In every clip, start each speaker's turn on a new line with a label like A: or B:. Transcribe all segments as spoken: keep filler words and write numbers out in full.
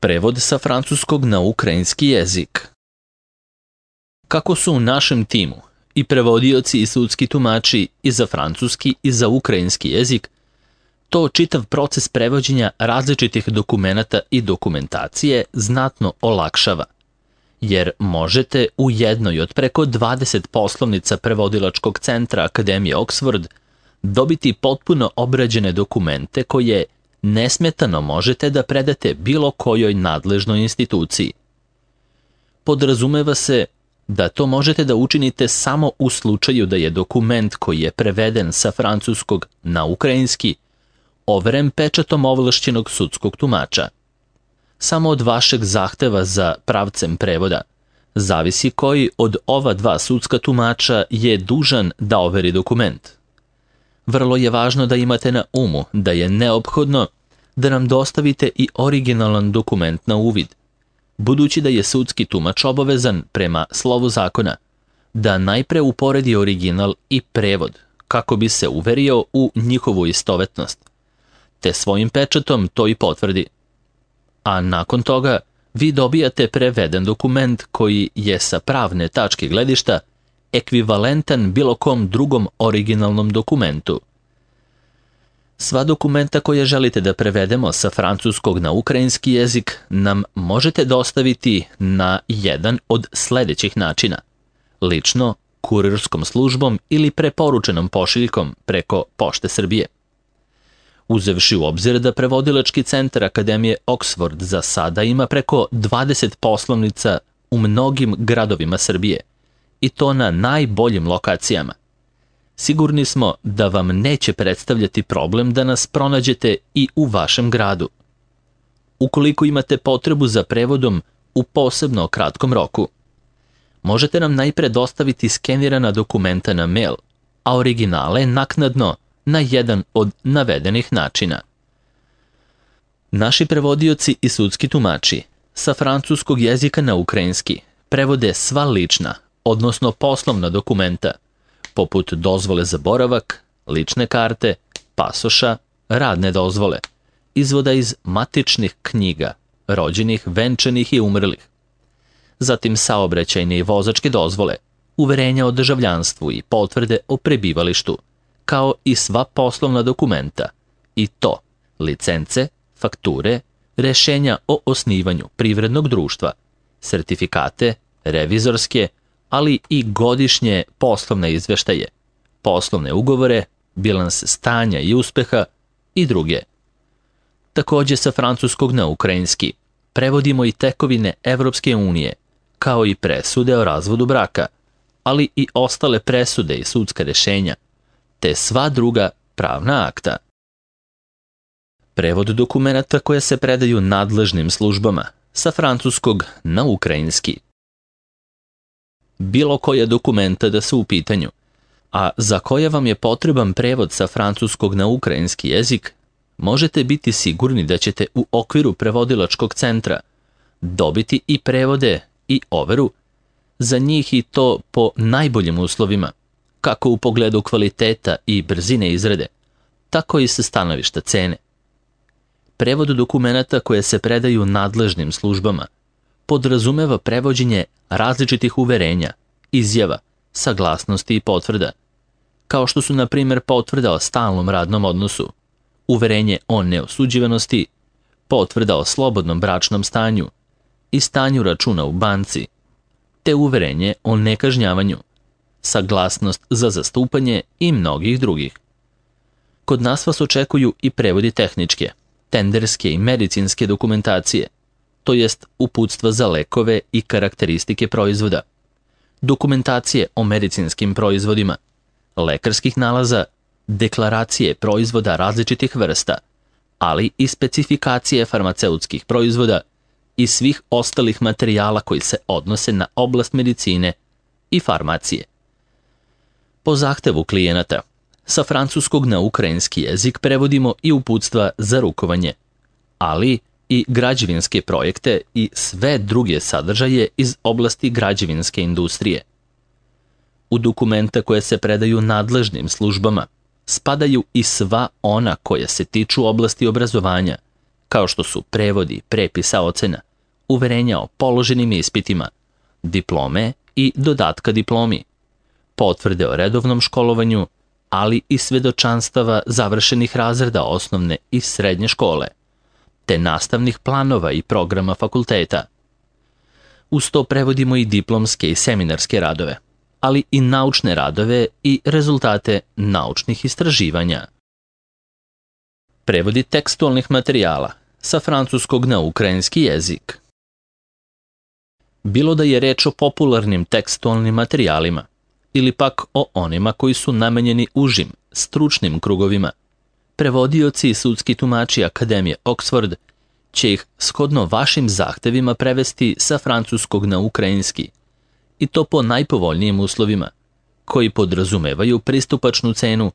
A: Prevod sa francuskog na ukrajinski jezik. Kako su u našem timu i prevodioci i sudski tumači i za francuski i za ukrajinski jezik, to čitav proces prevođenja različitih dokumenata i dokumentacije znatno olakšava, jer možete u jednoj od preko dvadeset poslovnica prevodilačkog centra Akademije Oxford dobiti potpuno obrađene dokumente koje nesmetano možete da predate bilo kojoj nadležnoj instituciji. Podrazumeva se da to možete da učinite samo u slučaju da je dokument koji je preveden sa francuskog na ukrajinski overen pečatom ovlašćenog sudskog tumača. Samo od vašeg zahteva za pravcem prevoda zavisi koji od ova dva sudska tumača je dužan da overi dokument. Vrlo je važno da imate na umu da je neophodno da nam dostavite i originalan dokument na uvid, budući da je sudski tumač obavezan prema slovu zakona da najpre uporedi original i prevod kako bi se uverio u njihovu istovetnost, te svojim pečatom to i potvrdi. A nakon toga vi dobijate preveden dokument koji je sa pravne tačke gledišta ekvivalentan bilo kom drugom originalnom dokumentu. Sva dokumenta koje želite da prevedemo sa francuskog na ukrajinski jezik nam možete dostaviti na jedan od sledećih načina: lično, kurirskom službom ili preporučenom pošiljkom preko Pošte Srbije. Uzevši u obzir da prevodilački centar Akademije Oxford za sada ima preko dvadeset poslovnica u mnogim gradovima Srbije, i to na najboljim lokacijama, sigurni smo da vam neće predstavljati problem da nas pronađete i u vašem gradu. Ukoliko imate potrebu za prevodom u posebno kratkom roku, možete nam najpre dostaviti skenirana dokumenta na mail, a originale naknadno na jedan od navedenih načina. Naši prevodioci i sudski tumači sa francuskog jezika na ukrajinski prevode sva lična, odnosno poslovna dokumenta, poput dozvole za boravak, lične karte, pasoša, radne dozvole, izvoda iz matičnih knjiga, rođenih, venčanih i umrlih, zatim saobraćajne i vozačke dozvole, uverenja o državljanstvu i potvrde o prebivalištu, kao i sva poslovna dokumenta, i to licence, fakture, rešenja o osnivanju privrednog društva, sertifikate, revizorske, ali i godišnje poslovne izveštaje, poslovne ugovore, bilans stanja i uspeha i druge. Takođe sa francuskog na ukrajinski prevodimo i tekovine Evropske unije, kao i presude o razvodu braka, ali i ostale presude i sudska rešenja, te sva druga pravna akta. Prevod dokumenata koje se predaju nadležnim službama sa francuskog na ukrajinski. Bilo koja dokumenta da su u pitanju, a za koje vam je potreban prevod sa francuskog na ukrajinski jezik, možete biti sigurni da ćete u okviru prevodilačkog centra dobiti i prevode i overu za njih, i to po najboljim uslovima, kako u pogledu kvaliteta i brzine izrade, tako i sa stanovišta cene. Prevod dokumenata koje se predaju nadležnim službama podrazumeva prevođenje različitih uverenja, izjava, saglasnosti i potvrda, kao što su na primjer potvrda o stalnom radnom odnosu, uverenje o neosuđivanosti, potvrda o slobodnom bračnom stanju i stanju računa u banci, te uverenje o nekažnjavanju, saglasnost za zastupanje i mnogih drugih. Kod nas vas očekuju i prevodi tehničke, tenderske i medicinske dokumentacije, to jest uputstva za lekove i karakteristike proizvoda, dokumentacije o medicinskim proizvodima, lekarskih nalaza, deklaracije proizvoda različitih vrsta, ali i specifikacije farmaceutskih proizvoda i svih ostalih materijala koji se odnose na oblast medicine i farmacije. Po zahtevu klijenata, sa francuskog na ukrajinski jezik prevodimo i uputstva za rukovanje, ali i građevinske projekte i sve druge sadržaje iz oblasti građevinske industrije. U dokumenta koje se predaju nadležnim službama spadaju i sva ona koja se tiču oblasti obrazovanja, kao što su prevodi, prepisa ocena, uverenja o položenim ispitima, diplome i dodatka diplomi, potvrde o redovnom školovanju, ali i svedočanstava završenih razreda osnovne i srednje škole, te nastavnih planova i programa fakulteta. Uz to prevodimo i diplomske i seminarske radove, ali i naučne radove i rezultate naučnih istraživanja. Prevodi tekstualnih materijala sa francuskog na ukrajinski jezik. Bilo da je reč o popularnim tekstualnim materijalima ili pak o onima koji su namenjeni užim, stručnim krugovima, prevodioci i sudski tumači Akademije Oxford će ih shodno vašim zahtevima prevesti sa francuskog na ukrajinski, i to po najpovoljnijim uslovima, koji podrazumevaju pristupačnu cenu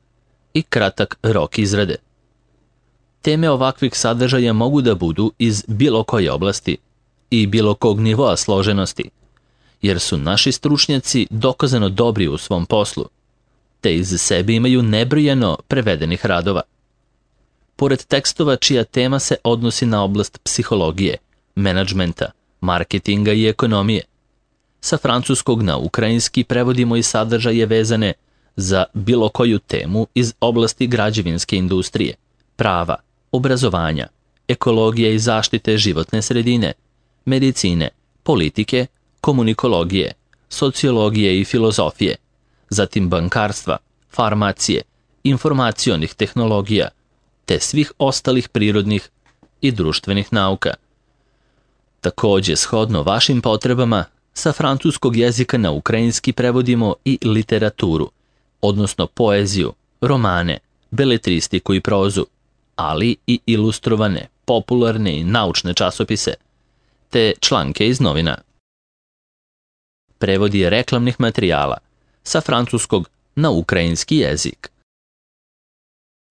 A: i kratak rok izrade. Teme ovakvih sadržaja mogu da budu iz bilo koje oblasti i bilo kog nivoa složenosti, jer su naši stručnjaci dokazano dobri u svom poslu, te iz sebe imaju nebrojeno prevedenih radova. Pored tekstova čija tema se odnosi na oblast psihologije, menadžmenta, marketinga i ekonomije, sa francuskog na ukrajinski prevodimo i sadržaje vezane za bilo koju temu iz oblasti građevinske industrije, prava, obrazovanja, ekologije i zaštite životne sredine, medicine, politike, komunikologije, sociologije i filozofije, zatim bankarstva, farmacije, informacionih tehnologija, te svih ostalih prirodnih i društvenih nauka. Takođe, shodno vašim potrebama, sa francuskog jezika na ukrajinski prevodimo i literaturu, odnosno poeziju, romane, beletristiku i prozu, ali i ilustrovane, popularne i naučne časopise, te članke iz novina. Prevodi reklamnih materijala sa francuskog na ukrajinski jezik.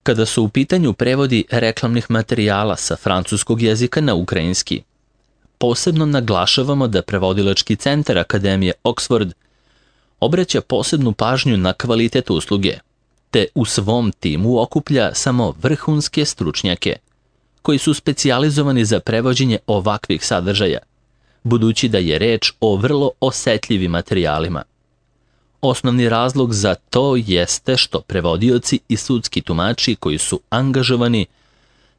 A: Kada su u pitanju prevodi reklamnih materijala sa francuskog jezika na ukrajinski, posebno naglašavamo da prevodilački centar Akademije Oxford obraća posebnu pažnju na kvalitet usluge, te u svom timu okuplja samo vrhunske stručnjake, koji su specijalizovani za prevođenje ovakvih sadržaja, budući da je reč o vrlo osetljivim materijalima. Osnovni razlog za to jeste što prevodioci i sudski tumači koji su angažovani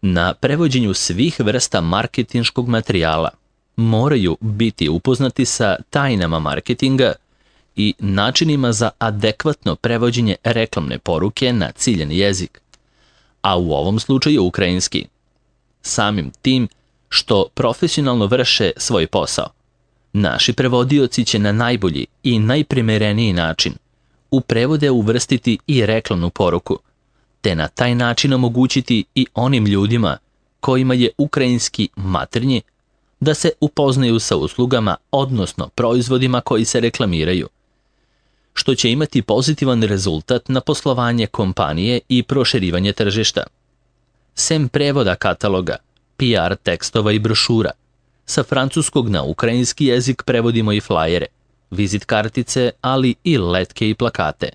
A: na prevođenju svih vrsta marketinškog materijala moraju biti upoznati sa tajnama marketinga i načinima za adekvatno prevođenje reklamne poruke na ciljani jezik, a u ovom slučaju ukrajinski. Samim tim što profesionalno vrše svoj posao, naši prevodioci će na najbolji i najprimereniji način u prevode uvrstiti i reklamnu poruku, te na taj način omogućiti i onim ljudima kojima je ukrajinski maternji da se upoznaju sa uslugama, odnosno proizvodima koji se reklamiraju, što će imati pozitivan rezultat na poslovanje kompanije i proširivanje tržišta. Sem prevoda kataloga, P R tekstova i brošura, sa francuskog na ukrajinski jezik prevodimo i flajere, vizit kartice, ali i letke i plakate.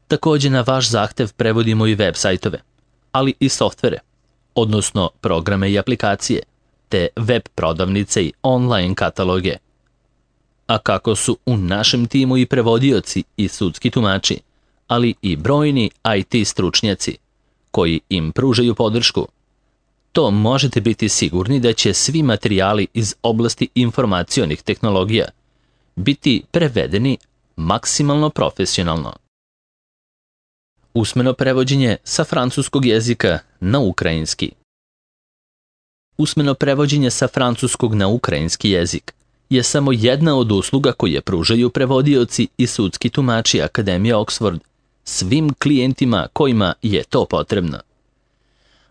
A: Takođe na vaš zahtev prevodimo i web sajtove, ali i softvere, odnosno programe i aplikacije, te web prodavnice i online kataloge. A kako su u našem timu i prevodioci i sudski tumači, ali i brojni I T stručnjaci koji im pružaju podršku, to možete biti sigurni da će svi materijali iz oblasti informacionih tehnologija biti prevedeni maksimalno profesionalno. Usmeno prevođenje sa francuskog jezika na ukrajinski. Usmeno prevođenje sa francuskog na ukrajinski jezik je samo jedna od usluga koje pružaju prevodioci i sudski tumači Akademije Oxford svim klijentima kojima je to potrebno.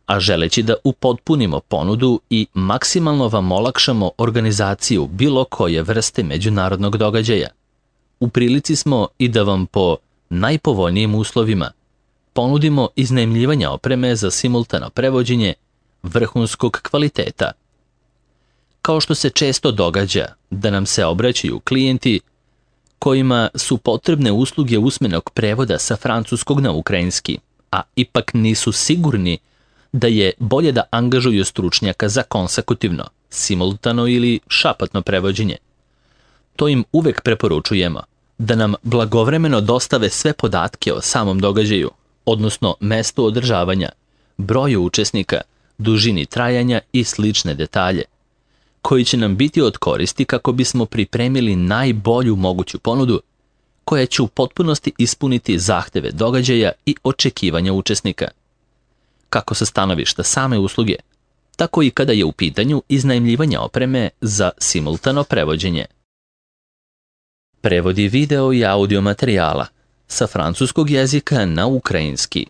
A: A želeći da upotpunimo ponudu i maksimalno vam olakšamo organizaciju bilo koje vrste međunarodnog događaja, u prilici smo i da vam po najpovoljnijim uslovima ponudimo iznajmljivanje opreme za simultano prevođenje vrhunskog kvaliteta. Kao što se često događa da nam se obraćaju klijenti kojima su potrebne usluge usmenog prevoda sa francuskog na ukrajinski, a ipak nisu sigurni da je bolje da angažuju stručnjaka za konsekutivno, simultano ili šapatno prevođenje. To im uvek preporučujemo, da nam blagovremeno dostave sve podatke o samom događaju, odnosno mestu održavanja, broju učesnika, dužini trajanja i slične detalje, koji će nam biti od koristi kako bismo pripremili najbolju moguću ponudu, koja će u potpunosti ispuniti zahteve događaja i očekivanja učesnika. Kako sa stanovišta same usluge, tako i kada je u pitanju iznajmljivanje opreme za simultano prevođenje. Prevodi video i audio materijala sa francuskog jezika na ukrajinski.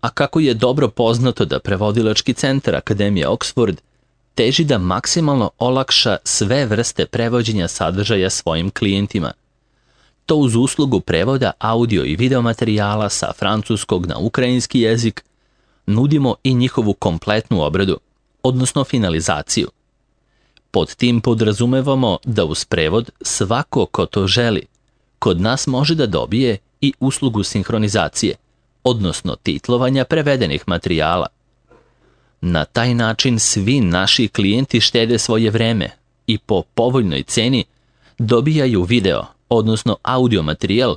A: A kako je dobro poznato da prevodilački centar Akademije Oxford teži da maksimalno olakša sve vrste prevođenja sadržaja svojim klijentima, to uz uslugu prevoda audio i video materijala sa francuskog na ukrajinski jezik nudimo i njihovu kompletnu obradu, odnosno finalizaciju. Pod tim podrazumevamo da uz prevod svako ko to želi, kod nas može da dobije i uslugu sinhronizacije, odnosno titlovanja prevedenih materijala. Na taj način svi naši klijenti štede svoje vreme i po povoljnoj ceni dobijaju video, odnosno audio materijal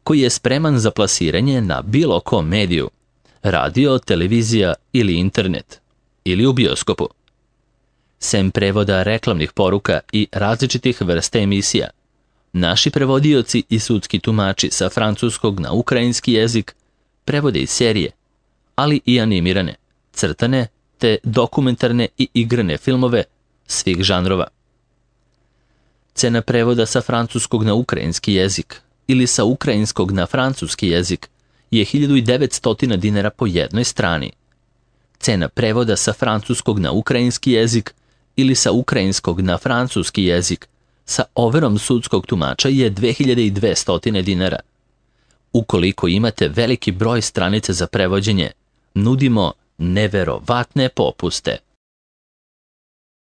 A: koji je spreman za plasiranje na bilo kom mediju, radio, televizija ili internet, ili u bioskopu. Sem prevoda reklamnih poruka i različitih vrsta emisija, naši prevodioci i sudski tumači sa francuskog na ukrajinski jezik prevode i serije, ali i animirane, crtane te dokumentarne i igrane filmove svih žanrova. Cena prevoda sa francuskog na ukrajinski jezik ili sa ukrajinskog na francuski jezik je hiljadu devetsto dinara po jednoj strani. Cena prevoda sa francuskog na ukrajinski jezik ili sa ukrajinskog na francuski jezik sa overom sudskog tumača je dve hiljade dvesta dinara. Ukoliko imate veliki broj stranica za prevođenje, nudimo neverovatne popuste.